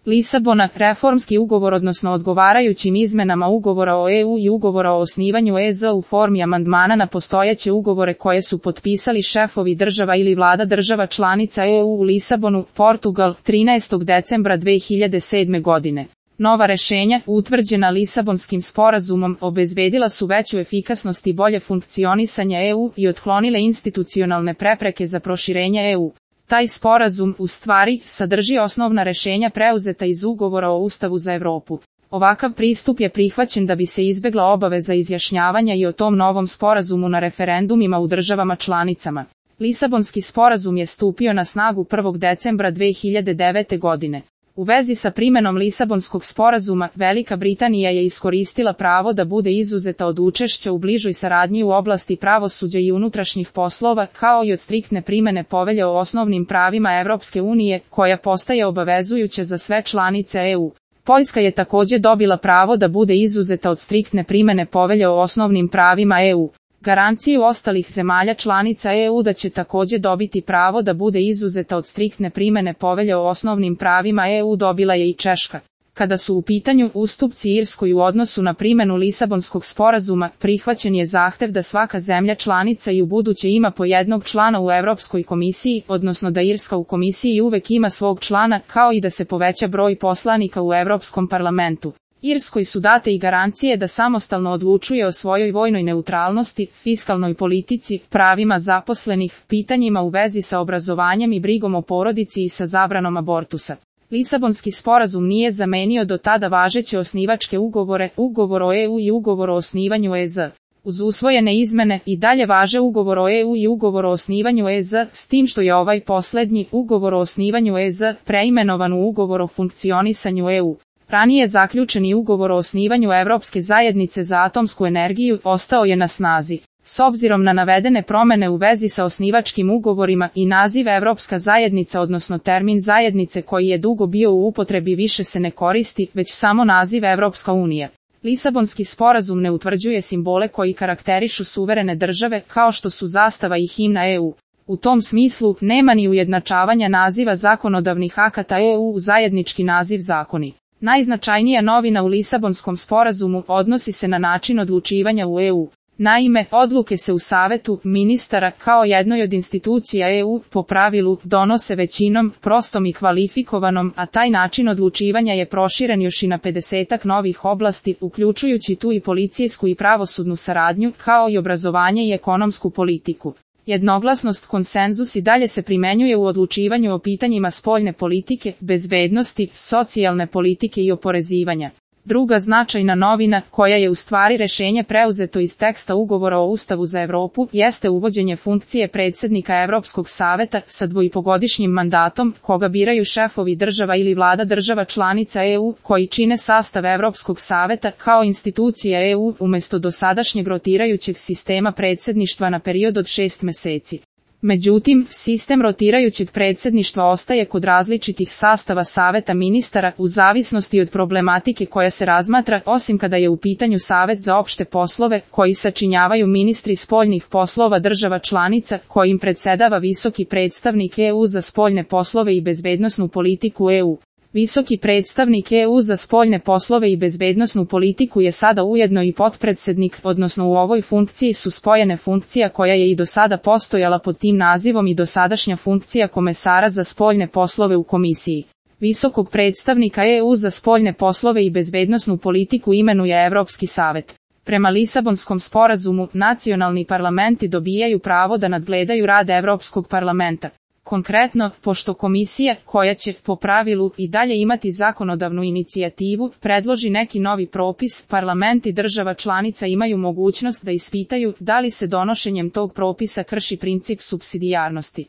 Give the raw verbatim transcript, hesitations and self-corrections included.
Lisabona, reformski ugovor odnosno odgovarajućim izmenama ugovora o E U i ugovora o osnivanju E Z u formi amandmana na postojeće ugovore koje su potpisali šefovi država ili vlada država članica E U u Lisabonu, Portugal, trinaestog decembra dve hiljade sedme godine. Nova rešenja, utvrđena Lisabonskim sporazumom, obezbedila su veću efikasnost i bolje funkcionisanje E U i otklonile institucionalne prepreke za proširenje E U. Taj sporazum, u stvari, sadrži osnovna rešenja preuzeta iz ugovora o Ustavu za Evropu. Ovakav pristup je prihvaćen da bi se izbegla obaveza izjašnjavanja i o tom novom sporazumu na referendumima u državama članicama. Lisabonski sporazum je stupio na snagu prvog decembra dve hiljade devete godine. U vezi sa primenom Lisabonskog sporazuma, Velika Britanija je iskoristila pravo da bude izuzeta od učešća u bližoj saradnji u oblasti pravosuđa i unutrašnjih poslova, kao i od striktne primene Povelje o osnovnim pravima Evropske unije, koja postaje obavezujuća za sve članice E U. Poljska je takođe dobila pravo da bude izuzeta od striktne primene Povelje o osnovnim pravima E U. Garanciju ostalih zemalja članica E U da će takođe dobiti pravo da bude izuzeta od striktne primene Povelje o osnovnim pravima E U dobila je i Češka. Kada su u pitanju ustupci Irskoj u odnosu na primenu Lisabonskog sporazuma, prihvaćen je zahtev da svaka zemlja članica i ubuduće ima po jednog člana u Evropskoj komisiji, odnosno da Irska u komisiji uvek ima svog člana, kao i da se poveća broj poslanika u Evropskom parlamentu. Irskoj su date i garancije da samostalno odlučuje o svojoj vojnoj neutralnosti, fiskalnoj politici, pravima zaposlenih, pitanjima u vezi sa obrazovanjem i brigom o porodici i sa zabranom abortusa. Lisabonski sporazum nije zamenio do tada važeće osnivačke ugovore, ugovor o E U i ugovor o osnivanju E Z. Uz usvojene izmene i dalje važe ugovor o E U i ugovor o osnivanju E Z, s tim što je ovaj poslednji, ugovor o osnivanju E Z, preimenovan u ugovor o funkcionisanju E U. Ranije zaključeni ugovor o osnivanju Evropske zajednice za atomsku energiju ostao je na snazi. S obzirom na navedene promene u vezi sa osnivačkim ugovorima i naziv Evropska zajednica odnosno termin zajednice koji je dugo bio u upotrebi više se ne koristi, već samo naziv Evropska unija. Lisabonski sporazum ne utvrđuje simbole koji karakterišu suverene države kao što su zastava i himna E U. U tom smislu, nema ni ujednačavanja naziva zakonodavnih akata E U u zajednički naziv zakoni. Najznačajnija novina u Lisabonskom sporazumu odnosi se na način odlučivanja u E U. Naime, odluke se u Savetu ministara kao jednoj od institucija E U po pravilu donose većinom, prostom i kvalifikovanom, a taj način odlučivanja je proširen još i na pedesetak novih oblasti, uključujući tu i policijsku i pravosudnu saradnju, kao i obrazovanje i ekonomsku politiku. Jednoglasnost konsenzus i dalje se primenjuje u odlučivanju o pitanjima spoljne politike, bezbednosti, socijalne politike i oporezivanja. Druga značajna novina, koja je u stvari rešenje preuzeto iz teksta ugovora o Ustavu za Evropu, jeste uvođenje funkcije predsednika Evropskog saveta sa dvoipogodišnjim mandatom, koga biraju šefovi država ili vlada država članica E U, koji čine sastav Evropskog saveta kao institucija E U umesto dosadašnjeg rotirajućeg sistema predsedništva na period od šest meseci. Međutim, sistem rotirajućeg predsedništva ostaje kod različitih sastava saveta ministara u zavisnosti od problematike koja se razmatra, osim kada je u pitanju Savet za opšte poslove, koji sačinjavaju ministri spoljnih poslova država članica, kojim predsedava visoki predstavnik E U za spoljne poslove i bezbednosnu politiku E U. Visoki predstavnik E U za spoljne poslove i bezbednosnu politiku je sada ujedno i potpredsednik, odnosno u ovoj funkciji su spojene funkcija koja je i do sada postojala pod tim nazivom i dosadašnja funkcija komesara za spoljne poslove u komisiji. Visokog predstavnika E U za spoljne poslove i bezbednosnu politiku imenuje Evropski savet. Prema Lisabonskom sporazumu, nacionalni parlamenti dobijaju pravo da nadgledaju rad Evropskog parlamenta. Konkretno, pošto komisija, koja će, po pravilu, i dalje imati zakonodavnu inicijativu, predloži neki novi propis, parlamenti država članica imaju mogućnost da ispitaju da li se donošenjem tog propisa krši princip supsidijarnosti.